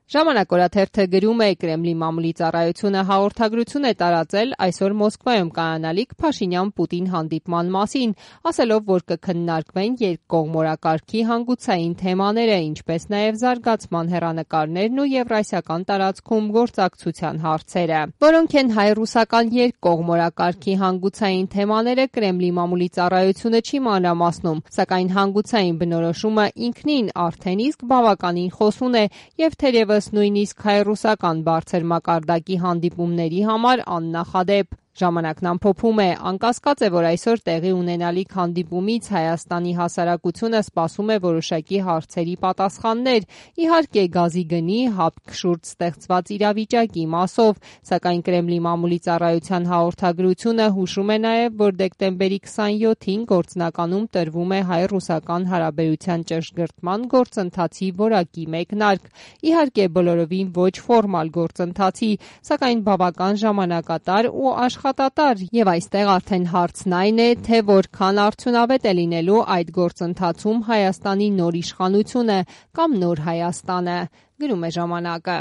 Ժամանակ օրաթերթը գրում է Կրեմլի մամուլի ծառայությունը հաղորդագրություն է տարածել այսօր Մոսկվայում կայանալիք Փաշինյան-Պուտին հանդիպման մասին, ասելով, որ կքննարկվեն երկկողմորակարգի հանգուցային թեմաները, ինչպես նաև զարգացման հեռանկարներն ու եվրասիական տարածքում գործակցության հարցերը, որոնք են հայ-ռուսական երկկողմորակարգի հանգուցային թեմաները Կրեմլի մամուլի ծառայությունը չի մանրամասնում, սակայն հանգուցային բնորոշումը ինքնին արդեն իսկ բավականին խոսուն է եւ թերևս նույնիսկ հայ-ռուսական բարձր մակարդակի հանդիպումների համար աննախադեպ։ Ժամանակն ամփոփում է, անկասկած է, որ այսօր տեղի ունենալիք հանդիպումից Հայաստանի հասարակությունը սպասում է որոշակի հարցերի պատասխաններ, իհարկե գազի գնի, հապկ շուրջ ստեղծված իրավիճակի մասով, սակայն Կրեմլի մամուլի ծառայության հաղորդագրությունը հուշում է նաև, որ դեկտեմբերի 27-ին գործնականում տրվում է հայ-ռուսական հարաբերության ճշգրտման գործընթացի որակի մեկնարկ, իհարկե բոլորովին ոչ ֆորմալ գործընթացի, սակայն բավական ժամանակատար ու աշխատատար, եւ այստեղ արդեն հարցն այն է, թե որքան արդյունավետ է լինելու այդ գործընթացում Հայաստանի նոր իշխանությունը կամ նոր Հայաստանը, գրում է ժամանակը։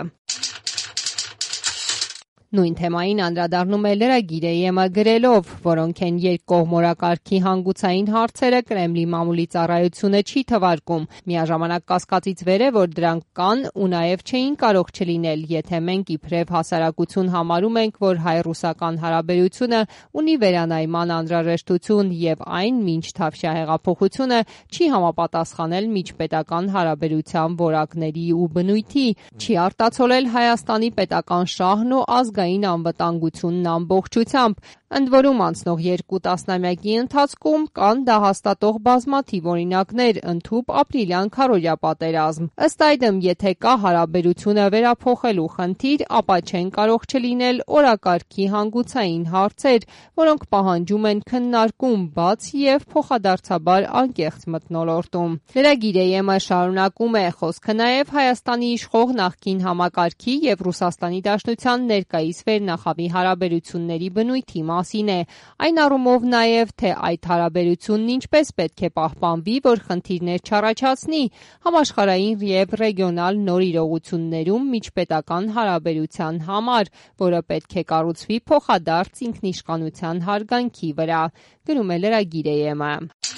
Նույն թեմային անդրադառնում է լրագիրը ԵՄ գրելով, որոնք են երկկողմորակարգի հանգուցային հարցերը Կրեմլի մամուլի ծառայությունը չի թվարկում։ Միաժամանակ կասկածից վեր է, որ դրանք կան ու նաև չէին կարող չլինել, եթե մենք իբրև հասարակություն համարում ենք, որ հայ-ռուսական հարաբերությունը ունի վերանայման անհրաժեշտություն եւ այն մինչ Թավշյա հեղափոխությունը չի համապատասխանել միջպետական հարաբերության որակների ու բնույթի, չի արտացոլել Հայաստանի պետական շահն ու ազգային անվտանգությունն ամբողջությամբ։ Ընդ որում անցնող 2 տասնամյակի ընթացքում կան դա հաստատող բազմաթիվ օրինակներ, ընդհուպ ապրիլյան քարոզիա պատերազմ։ Ըստ այդմ, եթե կա հարաբերությունը վերափոխելու խնդիր, ապա չեն կարող չլինել օրակարգի հանգուցային հարցեր, որոնք պահանջում են քննարկում բաց եւ փոխադարձաբար անկեղծ մթնոլորտում։ Լրագիրը ԵՄ շարունակում է, խոսքը նաեւ Հայաստանի իշխող նախկին համակարգի եւ Ռուսաստանի Դաշնության ներկայիս վերնախավի հարաբերությունների բնույթի մասին է, այն առումով նաև, թե այդ հարաբերությունն ինչպես պետք է պահպանվի, որ խնդիրներ չառաջացնի համաշխարհային եւ ռեգիոնալ նոր իրողություններում միջպետական հարաբերության համար, որը պետք է կառուցվի փոխադարձ ինքնիշխանության հարգանքի վրա, գրում է լրագիրը ԵՄ։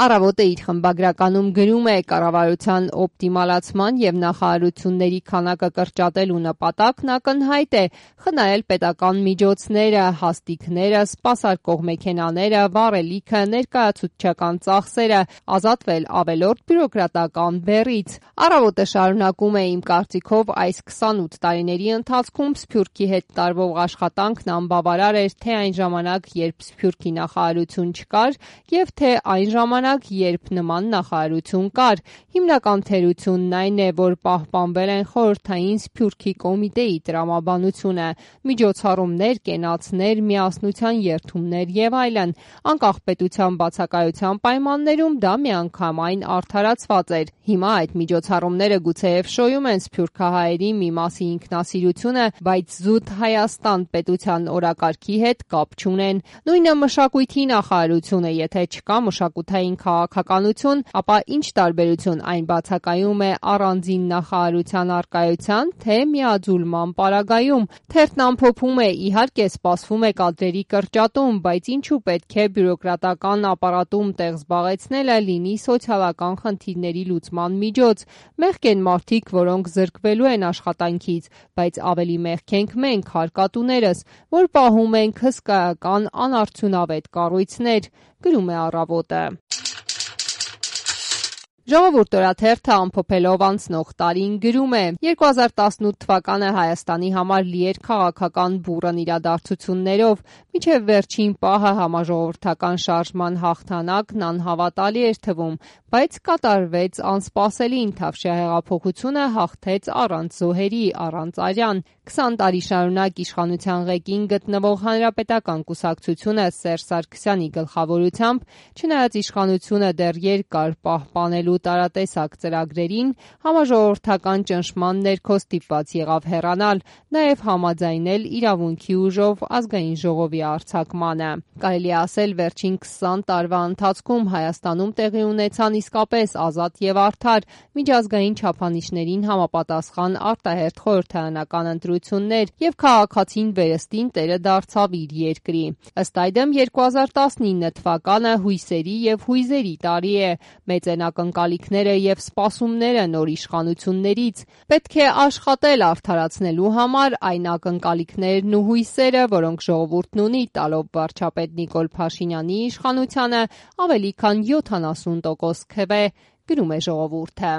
Առավոտը իր խմբագրականում գրում է կառավարության օպտիմալացման եւ նախարարությունների քանակը կրճատելու նպատակն ակնհայտ է՝ խնայել պետական միջոցները, հաստիքները, սպասարկող մեքենաները, վառելիքը, ներկայացուցչական ծախսերը, ազատվել ավելորդ բյուրոկրատական բեռից։ Առավոտը շարունակում է, իմ կարծիքով այս 28 տարիների ընթացքում Սփյուռքի հետ տարվող աշխատանքն անբավարար էր թե այն ժամանակ, երբ Սփյուռքի նախարարություն չկար, եւ թե այն ժամանակ, երբ նման նախարարություն կար։ Հիմնական թերությունն այն է, որ պահպանվել են խորհրդային Սփյուռքի կոմիտեի տրամաբանությունը, միջոցառումներ, կենացներ, միասնության երթումներ եւ այլն։ Անկախ պետության բացակայության պայմաններում դա միանգամայն արդարացված էր։ Հիմա այդ միջոցառումները գուցեև շոյում են սփյուռքահայերի մի մասի ինքնասիրությունը, բայց զուտ Հայաստան պետության օրակարգի հետ կապ չունեն։ Նույնը մշակույթի նախարարությունը, եթե չկա մշակութային քաղաքականություն, ապա ինչ տարբերություն այն բացակայում է առանձին նախարարության առկայության, թե միաձուլման պարագայում։ Թերթն ամփոփում է, իհարկե սպասվում է կադրերի կրճատում, բայց ինչու պետք է բյուրոկրատական ապարատում տեղ զբաղեցնելը լինի սոցիալական խնդիրների լուծման միջոց։ Մեղք են մարդիկ, որոնք զրկվելու են աշխատանքից, բայց ավելի մեղք ենք մենք, հարկատուներս, որ պահում ենք հսկայական անարդյունավետ կառույցներ, գրում է Առավոտը։ Ժողովուրդ օրաթերթը ամփոփելով անցնող տարին գրում է. 2018 թվականը Հայաստանի համար լի էր քաղաքական բուռն իրադարձություններով, մինչև վերջին պահը համաժողովրդական շարժման հաղթանակն անհավատալի էր թվում, բայց կատարվեց անսպասելին, Թավշյա հեղափոխությունը հաղթեց առանց զոհերի, առանց արյան։ 20 տարի շարունակ իշխանության ղեկին գտնվող Հանրապետական կուսակցությունը Սերժ Սարգսյանի գլխավորությամբ, չնայած իշխանությունը դեռ երկար պահպանելու աջակցելու տարատեսակ ծրագրերին, համաժողովրդական ճնշման ներքո ստիպված եղավ հեռանալ, նաև համաձայնել իրավունքի ուժով ազգային ժողովի արձակմանը։ Կարելի է ասել, վերջին 20 տարվա ընթացքում Հայաստանում տեղի ունեցան իսկապես ազատ եւ արդար միջազգային չափանիշներին համապատասխան արտահերթ խորհրդարանական ընտրություններ եւ քաղաքացին վերստին տերը դարձավ իր երկրի։ Ըստ այդմ 2019 թվականը հույսերի եւ հույզերի տարի է։ Մեծ են ակնկալիքները եւ սպասումները նոր իշխանություններից։ Պետք է աշխատել արդարացնելու համար այն ակնկալիքներն ու հույսերը, որոնք ժողովուրդն ունի, տալով վարչապետ Նիկոլ Փաշինյանի իշխանությանը ավելի քան 70% քվե, գրում է Ժողովուրդը։